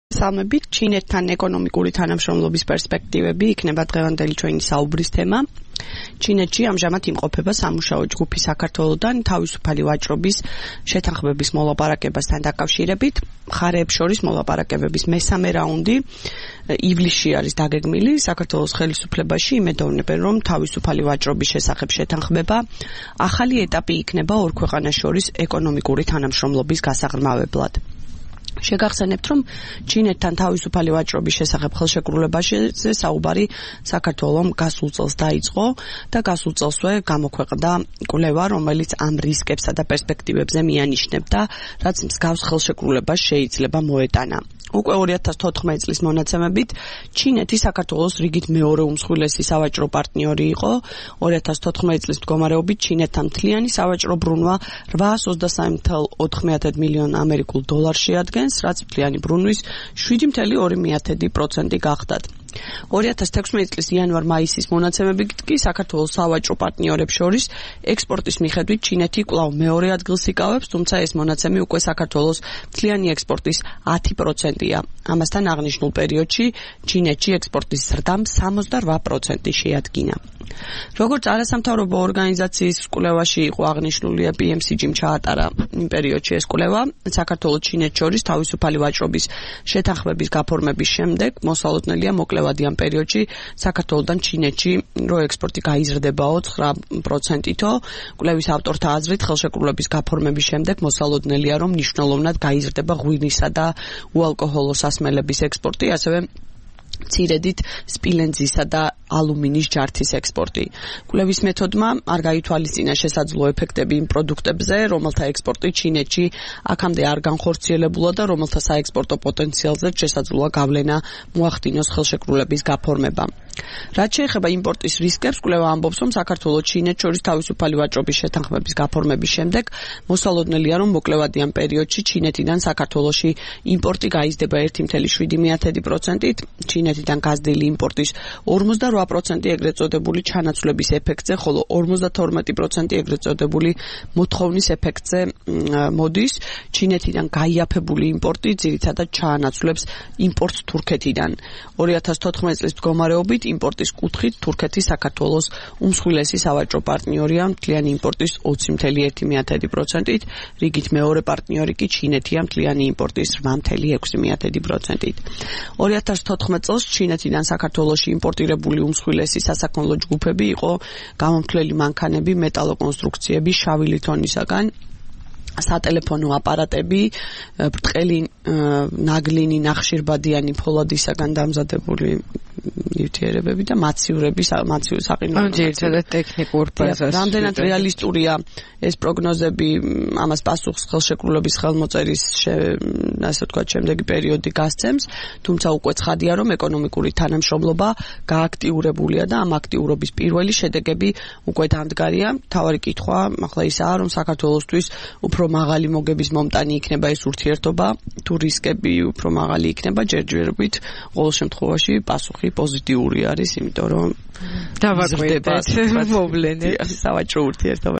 მოგესალმებით, ჩინეთთან ეკონომიკური თანამშრომლობის პერსპექტივები იქნება დღევანდელი ჩვენი საუბრის თემა. ჩინეთში ამჟამად იმყოფება სამუშაო ჯგუფი საქართველოდან თავისუფალი ვაჭრობის შეთანხმების მოლაპარაკებასთან დაკავშირებით. მხარეებს შორის მოლაპარაკებების მესამე რაუნდი ივლისში არის დაგეგმილი. საქართველოს ხელისუფლებაში იმედოვნებენ, რომ თავისუფალი ვაჭრობის შესახებ შეთანხმება ახალი ეტაპი იქნება ორ ქვეყანას შორის ეკონომიკური თანამშრომლობის გასაღრმავებლად. შეგახსენებთ, რომ ჩინეთთან თავისუფალი ვაჭრობის შესახებ ხელშეკრულებაში საუბარი საქართველოს გასულ წელს დაიწყო და გასულ წელსვე გამოქვეყნდა კვლევა, რომელიც ამ რისკებსა და პერსპექტივებზე მიანიშნებდა, რაც მსგავს ხელშეკრულებას შეიძლება მოეტანა. უკვე 2014 წლის მონაცემებით ჩინეთი საქართველოს რიგით მეორე უმსხვილესი სავაჭრო პარტნიორი იყო. 2014 წლის მდგომარეობით ჩინეთთან მთლიანი სავაჭრო ბრუნვა 823.4 მილიონ ამერიკულ დოლარს შეადგენს, რაც მთლიანი ბრუნვის 7.2% გახდათ. 2016 წლის იანვარ-მაისის მონაცემებით კი საქართველოს სავაჭრო პარტნიორებს შორის ექსპორტის მიხედვით ჩინეთი კვლავ მეორე ადგილს იკავებს, თუმცა ეს მონაცემი უკვე საქართველოს მთლიანი ექსპორტის 10%-ია. ამასთან აღნიშნულ პერიოდში ჩინეთში ექსპორტის ზრდამ 68% შეადგინა. როგორც არასამთავრობო ორგანიზაციის კვლევაში იყო აღნიშნულია, PMCG-მ ჩაატარა იმ პერიოდში ეს კვლევა, საქართველოს ჩინეთს შორის თავისუფალი ვაჭრობის შეთანხმების გაფორმების შემდეგ მოსალოდნელია მოკლევადი ამ პერიოდში საქართველოსთან ჩინეთში რო ექსპორტი გაიზრდებაო 9%-ით. კვლევის ავტორთა აზრით ხელშეკრულების გაფორმების შემდეგ მოსალოდნელია, რომ მნიშვნელოვნად გაიზრდება ღვინისა და უალკოჰოლო სასმელების ექსპორტი, ასევე მცირედით სპილენძისა და ალუმინის ჯართის ექსპორტი. კვლევის მეთოდმა არ გაითვალისწინა შესაძლო ეფექტები იმ პროდუქტებზე, რომელთა ექსპორტი ჩინეთში აქამდე არ განხორციელებულა და რომელთა საექსპორტო პოტენციალზე შესაძლოა გავლენა მოახდინოს ხელშეკრულების გაფორმებამ. რაც შეეხება იმპორტის რისკებს, კვლევა ამბობს, რომ საქართველოს ჩინეთს შორის თავისუფალი ვაჭრობის შეთანხმების გაფორმების შემდეგ მოსალოდნელია, რომ მოკლევადი ამ პერიოდში ჩინეთიდან საქართველოში იმპორტი გაიზრდება 1.7%-ით, ჩინეთიდან გაზრდილი იმპორტის 48% ეგრეთ წოდებული ჩანაცვლების ეფექტზე, ხოლო 52% ეგრეთ წოდებული მოთხოვნის ეფექტზე მოდის. ჩინეთიდან გაიაფებული იმპორტი ძირითადად ჩაანაცვლებს იმპორტს თურქეთიდან. 2014 წლის მდგომარეობით იმპორტის კუთხით თურქეთი საქართველოს უმსხვილესი სავაჭრო პარტნიორია მთლიანი იმპორტის 20.1%-ით, რიგით მეორე პარტნიორი კი ჩინეთია მთლიანი იმპორტის 8.6%-ით. 2014 წელს ჩინეთიდან საქართველოში იმპორტირებული უმსხვილესი სასაქონლო ჯგუფები იყო გამომთვლელი მანქანები, მეტალოკონსტრუქციები, შავი ლითონისაგან, სატელეფონო აპარატები, ბრტყელი ნაგლინი, ნახშირბადიანი ფოლადისაგან დამზადებული ნივთიერებები და მაცივრები, საყინო. ძირითადად ტექნიკურ ბაზას. რამდენად რეალისტურია ეს პროგნოზები, ამას პასუხს ხელშეკრულების ხელმოწერის ასე ვთქვათ შემდეგი პერიოდი გასცემს, თუმცა უკვე ცხადია, რომ ეკონომიკური თანამშრომლობა გააქტიურებულია და ამ აქტიურობის პირველი შედეგები უკვე დამდგარია. მთავარი კითხვა ახლა ისაა, რომ საქართველოსთვის უფრო მაღალი მოგების მომტანი იქნება ეს ურთიერთობა, თუ რისკები უფრო მაღალი იქნება, ჯერჯერობით ყოველ შემთხვევაში პასუხი პოზიტიური არის, იმიტომ რომ დავაკვირდეთ მოვლენებს სავაჭრო ურთიერთობა